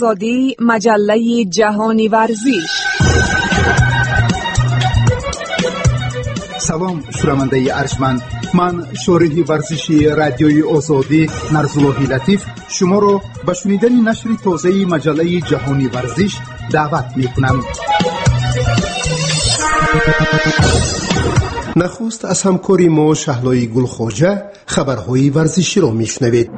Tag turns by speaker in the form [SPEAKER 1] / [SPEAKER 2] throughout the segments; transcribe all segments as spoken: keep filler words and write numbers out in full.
[SPEAKER 1] آزادی مجله جهانی ورزش.
[SPEAKER 2] Салом, шунавандаи арҷманд. Ман шориҳи варзиши радиои Озодӣ Нарзуллоҳи Латиф шуморо ба шунидани нашри тозаи маҷаллаи ҷаҳони варзиш даъват мекунам. Нахуст аз ҳамкори мо Шаҳлои Гулхоҷа хабарҳои варзиширо мешунавед.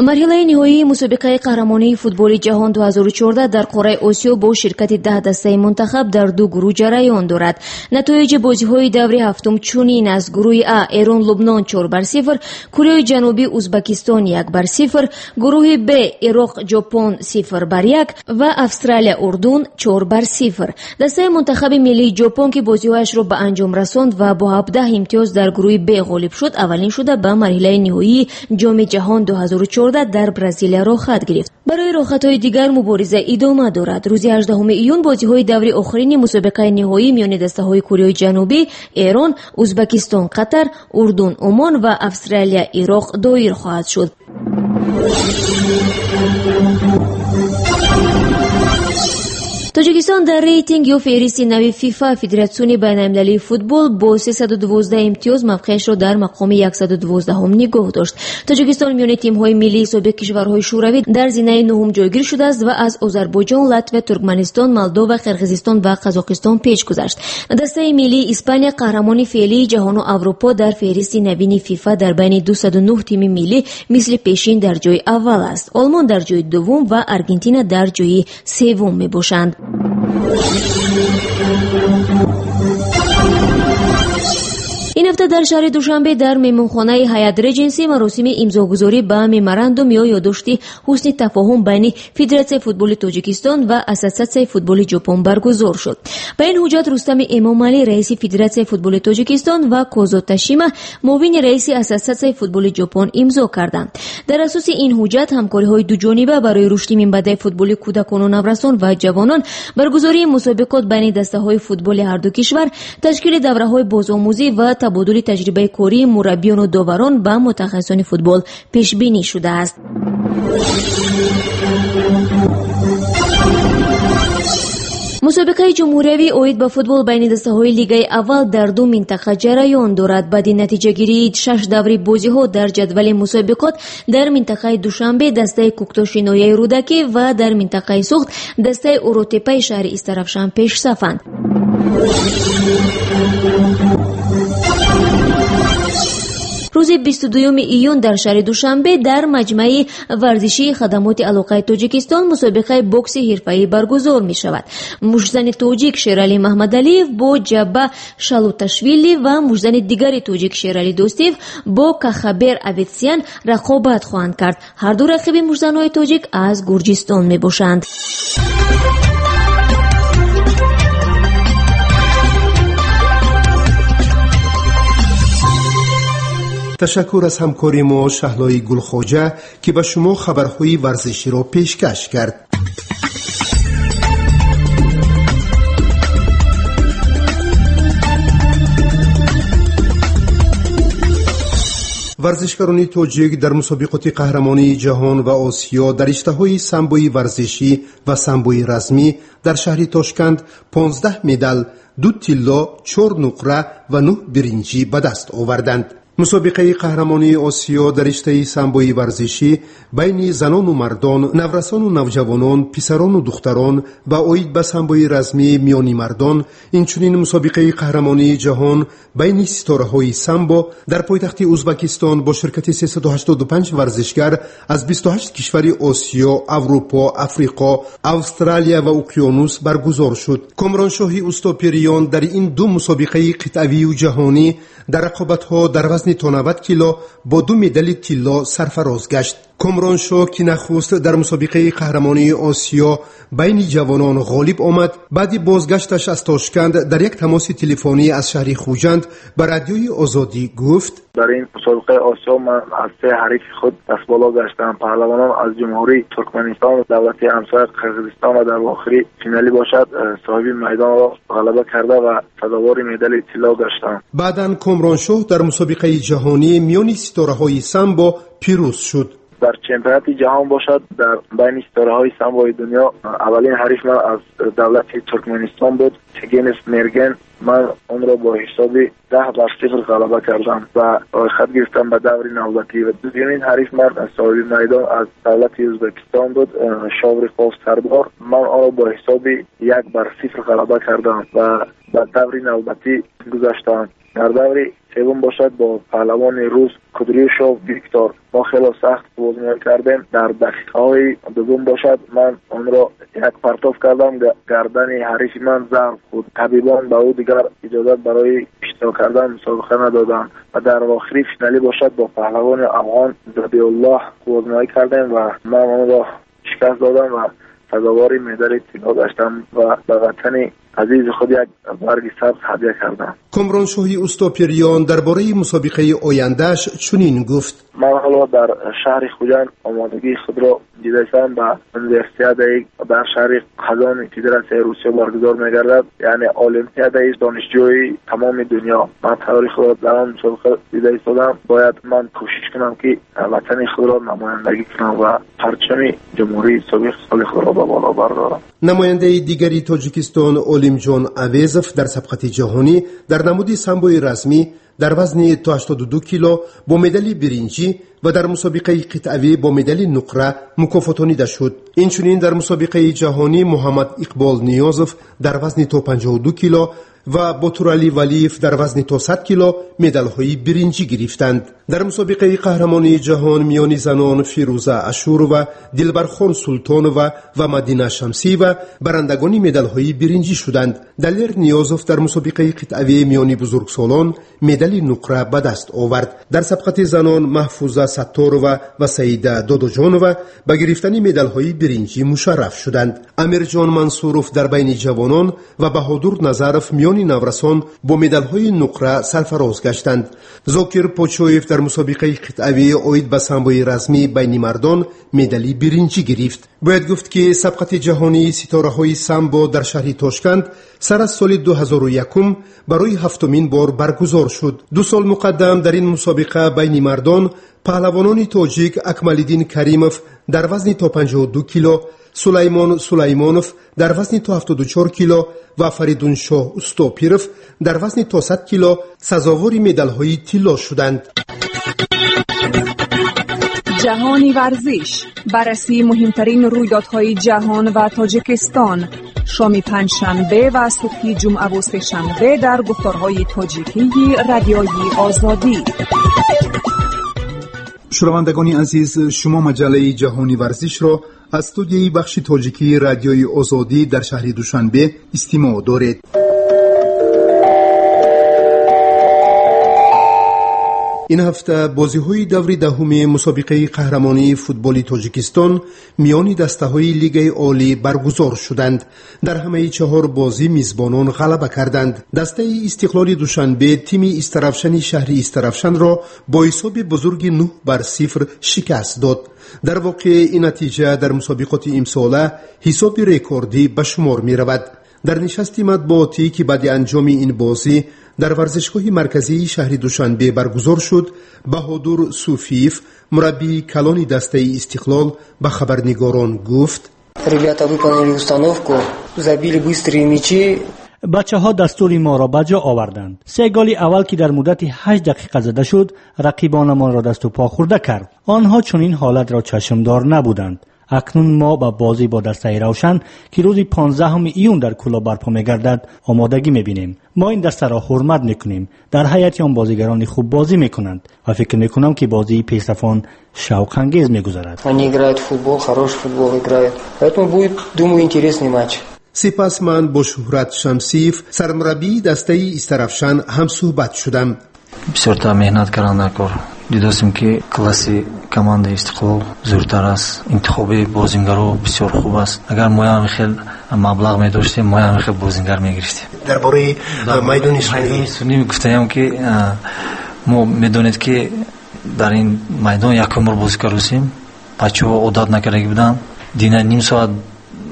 [SPEAKER 3] Марҳилаи ниҳоии мусобиқаи қаҳрамонии футболи ҷаҳон ду ҳазору чордаҳ дар қораи Осиё бо ширкати даҳ дастаи мунтахаб дар ду гурӯҳ ҷараён дорад. Натоиҷи бозиҳои даври ҳафтум чунин аст: гурӯҳи А Эрон Лубнон чор бар сифр, Кореяи Ҷанубӣ Узбакистон як бар сифр, гурӯҳи Б Ироқ Ҷопон сифр бар як ва Австралия Урдун чор бар сифр. Дастаи мунтахаби миллии Ҷопон, ки бозиҳояшро ба анҷом расонд ва бо ҳабдаҳ имтиёз дар гурӯҳи Б ғолиб шуд, аввалин шуда ба марҳилаи ниҳоии ҷоми ҷаҳон ду ҳазору чордаҳ дар Бразилия роҳхат гирифт. Барои роҳхатҳои дигар мубориза идома дорад. Рӯзи ҳаждаҳуми июн бозиҳои даври охирини мусобиқаи ниҳоӣ миёни дастаҳои Кореяи Ҷанубӣ, Эрон, Узбакистон, Қатар, Урдун, Умон ва Австралия, Ироқ доир хоҳад шуд. Тоҷикистон дар рейтинг ё феҳристи нави ФИФА, Федератсиони байналмилалии футбол, бо сесаду дувоздаҳ имтиёз мавқеашро дар мақоми яксаду дувоздаҳум нигоҳ дошт. Тоҷикистон миёни тимҳои миллии собиқ кишварҳои Шӯравӣ дар зинаи нуҳум ҷойгир шудааст ва аз Озарбойҷон, Латвия, Туркманистон, Молдова, Қирғизистон ва Қазоқистон пеш гузашт. Дастаи миллии Испания, қаҳрамони феълии ҷаҳону Аврупо, дар феҳристи навини ФИФА дар байни дусаду нуҳ тими миллӣ мисли пешин дар ҷои аввал аст. Олмон дар ҷои дуввум ва Аргентина дар ҷои севум мебошанд. Ин ҳафта дар шаҳри Душанбе дар меҳмонхонаи Ҳаят Реҷенси маросими имзогузорӣ ба меморандум ё ёддошти ҳусни тафоҳум байни Федератсияи футболи Тоҷикистон ва Ассотсиатсияи футболи Ҷопон баргузор шуд. Ба ин ҳуҷҷат Рустами Эмомалӣ, раиси Федератсияи футболи Тоҷикистон, ва Козо Ташима, муовини раиси Ассотсиатсияи футболи Ҷопон, имзо карданд. Дар асоси ин ҳуҷҷат ҳамкориҳои дуҷониба барои рушди минбаъдаи футболи кӯдакону наврасон ва ҷавонон, баргузории мусобиқот байни дастаҳои футболи ҳарду кишвар, ташкили давраҳои бозомӯзӣ ва табодули таҷрибаи кории мураббиёну доварон ба мутахассисони футбол пешбинӣ шудааст. Мусобиқаи ҷумҳуриявӣ оид ба футбол байни дастаҳои лигаи аввал дар ду минтақа ҷараён дорад. Баъди натиҷагирии шаш даври бозиҳо дар ҷадвали мусобиқот дар минтақаи Душанбе дастаи Кӯктоши ноҳияи Рӯдакӣ ва дар минтақаи Суғд дастаи Уротепаи шаҳри Истаравшан пешсафанд. Рӯзи бисту дуюми июн дар шаҳри Душанбе дар маҷмаи варзишии хадамоти алоқаи Тоҷикистон мусобиқаи бокси ҳирфаӣ баргузор мешавад. Муштзани тоҷик Шералӣ Маҳмадалиев бо Ҷаба Шалуташвили ва муштзани дигари тоҷик Шералӣ Дӯстиев бо Кахабер Аветсиян рақобат хоҳанд кард. Ҳарду рақиби муштзанҳои тоҷик аз Гурҷистон мебошанд.
[SPEAKER 2] Ташаккур аз ҳамкори мо Шаҳлои Гулхоҷа, ки ба шумо хабарҳои варзиширо пешкаш кард. Варзишгарони тоҷик дар мусобиқоти қаҳрамонии ҷаҳон ва Осиё дар риштаҳои самбои варзишӣ ва самбои размӣ дар шаҳри Тошканд понздаҳ медал, ду тилло, чор нуқра ва нӯҳ биринҷӣ ба даст оварданд. Мусобиқаи қаҳрамонии Осиё дар риштаи самбои варзишӣ байни занону мардон, наврасону навҷавонон, писарону духтарон ва оид ба самбои размӣ миёни мардон, инчунин мусобиқаи қаҳрамонии ҷаҳон байни ситораҳои самбо дар пойтахти Узбакистон бо ширкати сесаду ҳаштоду панҷ варзишгар аз бисту ҳашт кишвари Осиё, Аврупо, Африқо, Австралия ва Уқёнус баргузор шуд. Комроншоҳи Устопириён дар ин ду мусобиқаи қитъавию ҷаҳонӣ дар рақобатҳо дар вазни то навад кило бо ду медали тилло сарфароз гашт. Комроншоҳ, ки нахуст дар мусобиқаи қаҳрамонии Осиё байни ҷавонон ғолиб омад, баъди бозгашташ аз Тошканд дар як тамоси телефонӣ аз шаҳри Хуҷанд ба Радиои Озодӣ гуфт:
[SPEAKER 4] дар ин мусобиқаи Осиё ман аз се ҳарифи худ дастболо гаштам. Паҳлавонон аз Ҷумҳурии Туркманистон, давлати ҳамсоя Қирғизистон ва дар охири финалӣ бошад соҳиби майдонро ғалаба карда ва сазовори медали тилло гаштам.
[SPEAKER 2] Баъдан Комроншоҳ дар мусобиқаи ҷаҳонӣ миёни ситораҳои самбо пирӯз шуд.
[SPEAKER 4] Дар чемпионати ҷаҳон бошад дар байни ситораҳои самбои дунё аввалин ҳариф ман аз давлати Туркманистон буд, Тегенов Мерген. Ман онро бо ҳисоби даҳ бар сифр ғалаба кардам ва рӯйхат гирифтам ба даври навбатӣ. Ва дуюмин ҳариф ман соҳиби майдон аз давлати Ӯзбекистон буд, Шовриқов Сардор. Ман онро бо ҳисоби як бар сифр ғалаба кардам ва ба даври навбатӣ гузаштам. Дар даври севум бошад бо паҳлавони рус Кудрюшов Виктор мо хело сахт бозиҳо кардем. Дар дақиқаҳои дуввум бошад ман онро як партоф кардам, гардани ҳарифи ман зарб хӯрд. Табибон ба ӯ дигар иҷозат барои иштирок кардан мусобиқа надоданд. Ва дар охири финалӣ бошад бо паҳлавони афғон Забиуллоҳ бозиҳо кардем ва ман онро шикаст додам ва сазовори медали тилло гаштам ва ба ватани азизи худ як барги сабз ҳадя кардам.
[SPEAKER 2] Комроншоҳи Устопириён дар бораи мусобиқаи ояндааш чунин гуфт:
[SPEAKER 4] ман ҳоло дар шаҳри Хуҷанд омодагии худро дидаам ба универсиадаи дар шаҳри Қазони Федератсияи Русия баргузор мегардад, яъне олимпиадаи донишҷӯи тамоми дунё. Ман тайёри худро дар он мусобиқа дида истодам. Бояд ман кӯшиш кунам, ки ватани худро намояндагӣ кунам ва парчами ҷумҳурии собиқ соли худро ба боло бардорам.
[SPEAKER 2] Намояндаи дигари Тоҷикистон Олимҷон Авезов дар сабқати ҷаҳонӣ дар намуди самбои расмӣ дар вазни то ҳаштоду ду кило бо медали биринҷӣ ва дар мусобиқаи қитъавӣ бо медали нуқра мукофотонида шуд. Инчунин дар мусобиқаи ҷаҳонӣ Муҳаммад Иқбол Ниёзов дар вазни то панҷоҳу ду кило ва Ботуралӣ Валиев дар вазни то сад кило медалҳои биринҷӣ гирифтанд. Дар мусобиқаи қаҳрамонии ҷаҳон миёни занон Фирӯза Ашурова, Дилбархон Султонова ва Мадина Шамсиева барандагони медалҳои биринҷӣ шуданд. Далер Ниёзов дар мусобиқаи қитъавӣ миёни бузургсолон медали нуқра ба даст овард. Дар сабқати занон Маҳфуза Сатторова ва Саида Додоҷонова ба гирифтани медалҳои биринҷӣ мушарраф шуданд. Амирҷон Мансуров дар байни ҷавонон ва Баҳодур Назаров миёни наврасон бо медалҳои нуқра сарфароз гаштанд. Зокир Почоев дар мусобиқаи қитъавӣ оид ба самбои расмӣ байни мардон медали биринҷӣ гирифт. Бояд гуфт, ки сабқати ҷаҳонии ситораҳои самбо дар шаҳри Тошканд сар аз соли ду ҳазору якум барои ҳафтумин бор баргузор шуд. Ду сол муқаддам дар ин мусобиқа байни мардон паҳлавонони тоҷик Акмалиддин Каримов дар вазни то панҷоҳу ду кило, Сулаймон Сулаймонов дар вазни то ҳафтоду чор кило ва Фаридуншоҳ Устопиров дар вазни то сад кило сазовори медалҳои тилло шуданд.
[SPEAKER 1] Ҷаҳони варзиш, баррасии муҳимтарин рӯйдодҳои ҷаҳон ва Тоҷикистон. Шоми панҷшанбе ва субҳи ҷумъаву сешанбе дар гуфторҳои тоҷикии Радиои Озодӣ.
[SPEAKER 2] Шунавандагони азиз, шумо маҷаллаи ҷаҳони варзишро аз студияи бахши тоҷикии Радиои Озодӣ дар шаҳри Душанбе истимоъ доред. Ин ҳафта бозиҳои даври даҳуми мусобиқаи қаҳрамонии футболи Тоҷикистон миёни дастаҳои Лигаи Олӣ баргузор шуданд. Дар ҳамаи чаҳор бозӣ мизбонон ғалаба карданд. Дастаи Истиқлоли Душанбе тими Истаравшани шаҳри Истаравшанро бо ҳисоби бузурги нӯҳ бар сифр шикаст дод. Дар воқеъ ин натиҷа дар мусобиқоти имсола ҳисоби рекордӣ ба шумор меравад. Дар нишасти матбуотӣ, ки баъди анҷоми ин бозӣ дар варзишгоҳи марказии шаҳри Душанбе баргузор шуд, Баҳодур Суфиев, мураббии калони дастаи Истиқлол, ба хабарнигорон гуфт:
[SPEAKER 5] Ребята выполнили установку, забили быстрые мячи.
[SPEAKER 6] Бачаҳо дастури моро ба ҷо оварданд. Се голи аввал, ки дар муддати ҳашт дақиқа зада шуд, рақибонамонро дасту по хӯрда кард. Онҳо чунин ҳолатро чашмдор набуданд. Акнун мо ба бозӣ бо дастаи Равшан, ки рӯзи понздаҳуми июн дар Кӯлоб барпо мегардад, омодагӣ мебинем. Мо ин дастаро ҳурмат мекунем. Дар ҳайати он бозигарони хуб бозӣ мекунанд ва фикр мекунам, ки бозии пешрафон шавқангез мегузарад.
[SPEAKER 5] Они играют в футбол, хороший футбол играют. Поэтому будет, думаю, интересный матч.
[SPEAKER 2] Сипас ман бо Шуҳрат Шамсиев, сармураббии дастаи Истаравшан, ҳамсӯҳбат шудам.
[SPEAKER 7] Бисёртар меҳнат кардан дар кор. Дидостем, ки класси командаи Истиқлол зӯртар аст, интихоби бозингаро бисёр хуб аст. Агар моям хел маблағ медоштем, моям хел бозингар мегирифтем.
[SPEAKER 8] Дар бораи майдони суннӣ
[SPEAKER 7] суннӣ гуфтаям, ки мо медонед, ки дар ин майдон якум бор бозӣ кардусем, бачаҳо одат накардаги буданд. Дина ним соат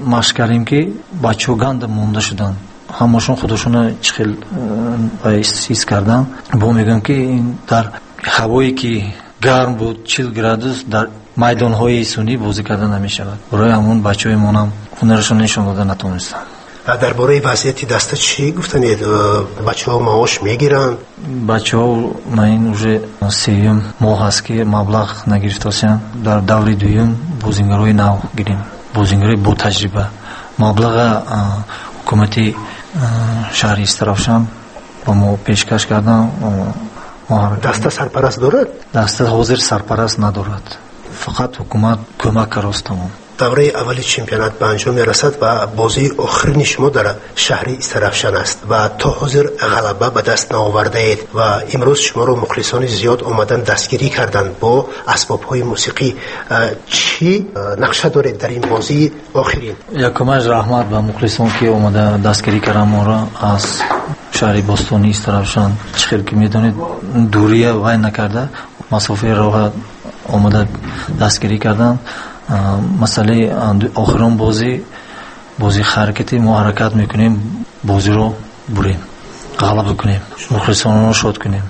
[SPEAKER 7] машқ кардем, ки бачаҳо ганда монда шуданд, ҳамашон худошонро чӣ хел ҳис карданд. Бо мегӯям, ки дар ҳавое ки гарм буд, чил градус, дар майдонҳои суннӣ бозӣ карда намешавад. Барои ҳамон бачаҳои монам ҳунарашон нишон дода натавонистанд.
[SPEAKER 8] Дар бораи вазъияти даста чӣ гуфтанед? Бачаҳо маош мегиранд?
[SPEAKER 7] Бачаҳо ман ин уже сеюм моҳ аст, ки маблағ нагирифтасиянд. Дар даври дуюм бозингарои нав гирем, бозингарои бо таҷриба. Маблаға ҳукумати шаҳри Истаравшан ба мо пешкаш карданд.
[SPEAKER 8] Даста сарпараст дорад?
[SPEAKER 7] Даста ҳозир сарпараст надорад, фақат ҳукумат кӯмак карост, тамом.
[SPEAKER 8] Давраи аввали чемпионат ба анҷом мерасад ва бозии охирини шумо дар шаҳри Истаравшан аст ва то ҳозир ғалаба ба даст наовардаед ва имрӯз шуморо мухлисони зиёд омадан дастгирӣ карданд бо асбобҳои мусиқӣ. Чӣ нақша доред дар ин бозии охирин?
[SPEAKER 7] Якумаш раҳмат ба мухлисон, ки омада дастгирӣ карданд моро аз шаҳри бостонии Истаравшан. Чӣ хел ки медонед, дурия вай накарда, масофаи роҳа омада дастгирӣ карданд. Масъалаи охирон бозӣ, бозии ҳаракати мо ҳаракат мекунем, бозиро бурем, ғалаба кунем, мухлисонро шод кунем,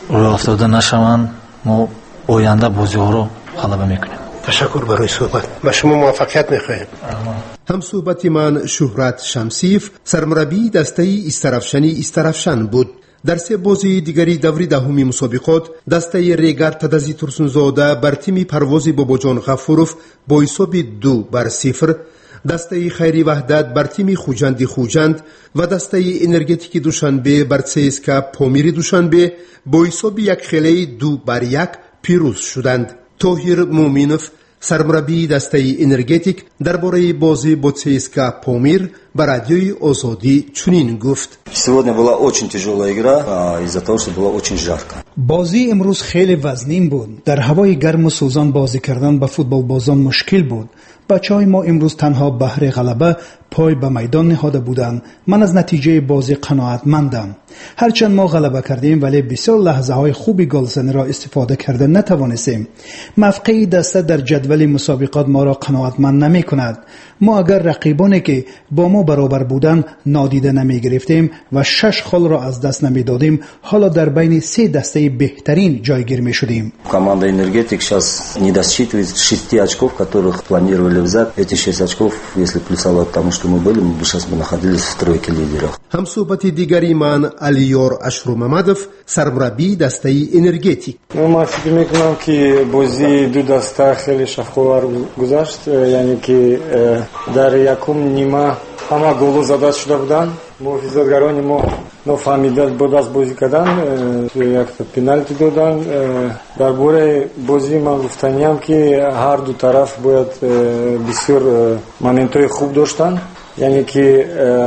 [SPEAKER 7] рӯ афтода нашаванд. Мо оянда бозиҳоро ғалаба мекунем.
[SPEAKER 8] Ташаккур барои суҳбат, ба шумо муваффақият мехоҳем.
[SPEAKER 2] Ҳамсуҳбати ман Шуҳрат Шамсиев, сармураббии дастаи Истаравшани Истаравшан буд. Дар се бозии дигари даври даҳуми мусобиқот дастаи Регар Тадази Турсунзода бар тими Парвози Бобоҷон Ғафуров бо ҳисоби ду бар сифр, дастаи Хайри Ваҳдат бар тими Хуҷанди Хуҷанд ва дастаи Энергетики Душанбе бар ЦСКА Помири Душанбе бо ҳисоби якхелаи ду бар як пирӯз шуданд. Тоҳир Муъминов, сармураббии дастаи Энергетик, дар бораи бозӣ бо ЦСКА Помир ба Радиои Озодӣ чунин гуфт:
[SPEAKER 9] Сегодня была очень тяжелая игра из-за того, что было очень жарко.
[SPEAKER 10] Бозии имрӯз хеле вазнин буд. Дар ҳавои гарму сӯзон бозӣ кардан ба футболбозон мушкил буд. Бачаҳои мо имрӯз танҳо баҳри ғалаба пой ба майдон ниҳода буданд. Ман аз натиҷаи бозӣ қаноатмандам. Ҳарчанд мо ғалаба кардем, вале бисёр лаҳзаҳои хуби голзаниро истифода карда натавонистем. Мавқеи даста дар ҷадвали мусобиқот моро қаноатманд намекунад. Мо агар рақибоне ки бо мо баробар буданд нодида намегирифтем ва шаш холро аз даст намедодем, ҳоло дар байни се дастаи беҳтарин ҷойгир мешудем.
[SPEAKER 9] Команда Энергетик сейчас не досчитывает шести очков, которых планировали взять. Эти шесть очков, если плюсовать тому, что мы были, мы бы сейчас бы находились в тройке лидеров.
[SPEAKER 2] Ҳамсуҳбати дигари ман Алиёр Ашрумамадов, сармураббии дастаи Энергетик.
[SPEAKER 11] Ман фикр мекунам, ки бозии ду даста хеле шафқовар гузашт, яъне ки дар якум нима ҳама голо зада шуда буданд. Муҳофизатгарони мо нофаҳмида бо даст бозӣ кардан, якта пеналти доданд. Дар бораи бозӣ ман гуфтаниям, ки ҳар ду тараф бояд бисёр моментҳои хуб доштанд, яъне ки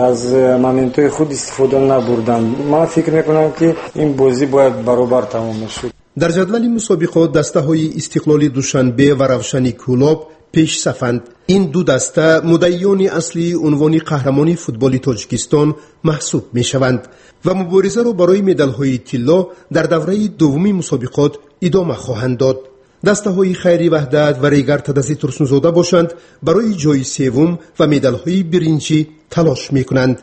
[SPEAKER 11] аз моментҳои худ истифода набурданд. Ман фикр мекунам, ки ин бозӣ бояд баробар тамом мешуд.
[SPEAKER 2] Дар ҷадвали мусобиқот дастаҳои Истиқлоли Душанбе ва Равшани Кӯлоб пешсафанд. Ин ду даста муддаиёни аслии унвони қаҳрамони футболи Тоҷикистон маҳсуб мешаванд ва муборизаро барои медалҳои тилло дар давраи дуввуми мусобиқот идома хоҳанд дод. Дастаҳои Хайри Ваҳдат ва Регар Тадази Турсунзода бошанд, барои ҷои севум ва медалҳои биринҷӣ талош мекунанд.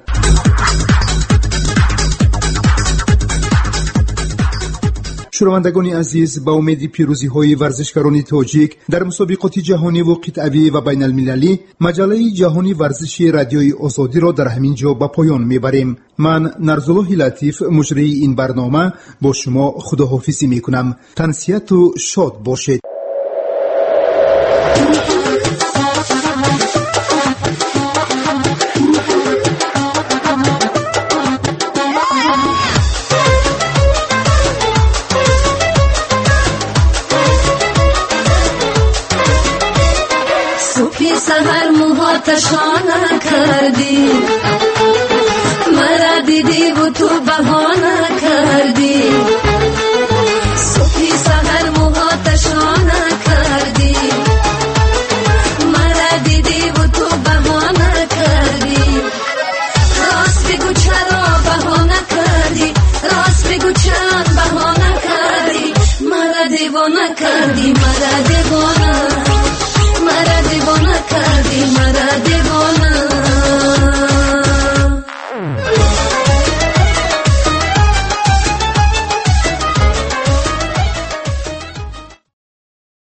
[SPEAKER 2] Шунавандагони азиз, ба умеди пирӯзиҳои варзишгарони тоҷик дар мусобиқоти ҷаҳониву қитъавӣ ва байналмилалӣ, маҷаллаи ҷаҳони варзиши Радиои Озодиро дар ҳамин ҷо ба поён мебарем. Ман Нарзуллоҳи Латиф, муҷрии ин барнома, бо шумо худоҳофизӣ мекунам. Тансиҳату шод бошед.
[SPEAKER 12] Саҳар муҳоташона кардӣ, мара дидиву ту баҳона.